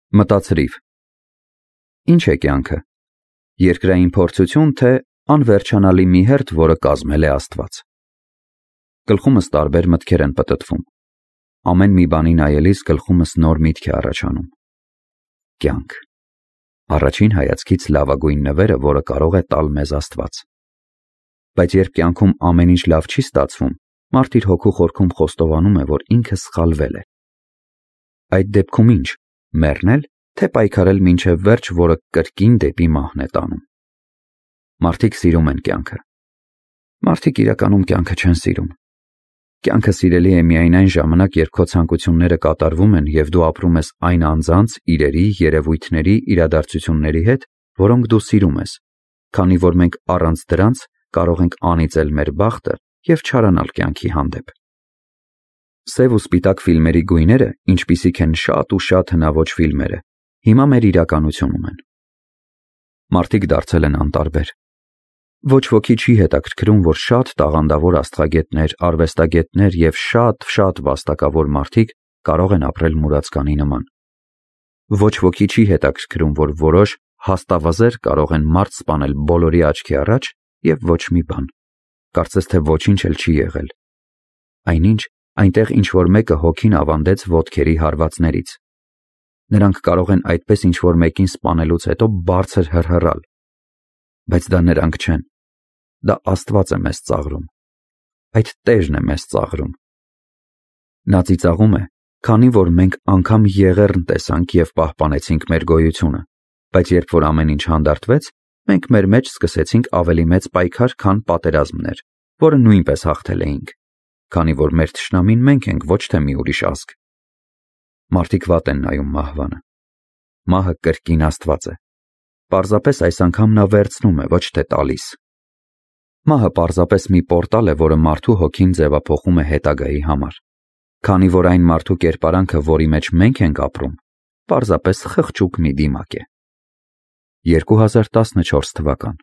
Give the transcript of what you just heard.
Մտածրիվ։ Ինչ է կյանքը։ Երկրային փորձություն, թե անվերջանալի մի հերթ, որը կազմել է Աստված։ Գլխումս տարբեր մտքեր են պտտվում։ Ամեն մի բանի նայելիս գլխումս նոր միտք է առաջանում։ Կյանք։ Առաջին հայացքից լավագույն նվերը, որը կարող է տալ մեզ Աստված։ Բայց երբ կյանքում ամեն ինչ լավ չի ստացվում, մարդ իր հոգու խորքում խոստովանում է, որ ինքը սխալվել է։ Այդ դեպքում ինչ, մեռնել, թե պայքարել մինչև վերջ, որը կրկին դեպի մահն է տանում։ Մարդիկ սիրում են կյանքը։ Մարդիկ իրականում կյանքը չեն սիրում։ Կյանքը սիրելի է միայն այն ժամանակ, երբ քո ցանկությունները կատարվում են և դու ապրում ես այն անձանց, իրերի, երևույթների, իրադարձությունների հետ, որոնք դու սիրում ես, քանի որ մենք առանց դրանց կարող ենք անիծել մեր բախտը և չարանալ կյանքի հանդեպ։ Սև ու սպիտակ ֆիլմերի գույները, ինչպիսիք են շատ ու շատ հնաոճ ֆիլմերը, հիմա մեր իրականությունում են։ Մարդիկ դարձել են անտարբեր։ Ոչ ոքի չի հետաքրքրում, որ շատ տաղանդավոր աստղագետներ, արվեստագետներ և շատ վաստակավոր մարդիկ կարող են ապրել մուրացկանի նման։ Ոչ ոքի չի հետաքրքրում, որ որոշ հաստավազեր կարող են մարդ սպանել բոլորի աչքի առաջ և ոչ մի բան։ Կարծես թե ոչինչ էլ չի եղել։ Այնինչ, այնտեղ ինչ-որ մեկը հոգին ավանդեց ոտքերի հարվածներից։ Նրանք կարող են այդպես ինչ-որ մեկին սպանելուց հետո բարձր հռհռալ։ Բայց դա նրանք չեն։ Դա Աստված է մեզ ծաղրում։ Այդ Տերն է մեզ ծաղրում։ Նա ծիծաղում է, քանի որ մենք անգամ եղեռն տեսանք և պահպանեցինք մեր գոյությունը, բայց երբ որ ամեն ինչ հանդարտվեց, մենք մեր մեջ սկսեցինք ավելի մեծ պայքար, քան պատերազմներ, որը նույնպես հաղթել էինք, քանի որ մեր թշնամին մենք ենք, ոչ թե մի ուրիշ ազգ։ Մարդիկ վատ են նայում մահվանը։ Մահը կրկին Աստված է։ Պարզապես այս անգամ նա վերցնում է, ոչ թե տալիս։ Մահը պարզապես մի պորտալ է, որը մարդու հոգին ձևափոխում է հետագայի համար։ Քանի որ այն մարդու կերպարանքը, որի մեջ մենք ենք ապրում, պարզապես խղճուկ մի դիմակ է։ 2014 թվական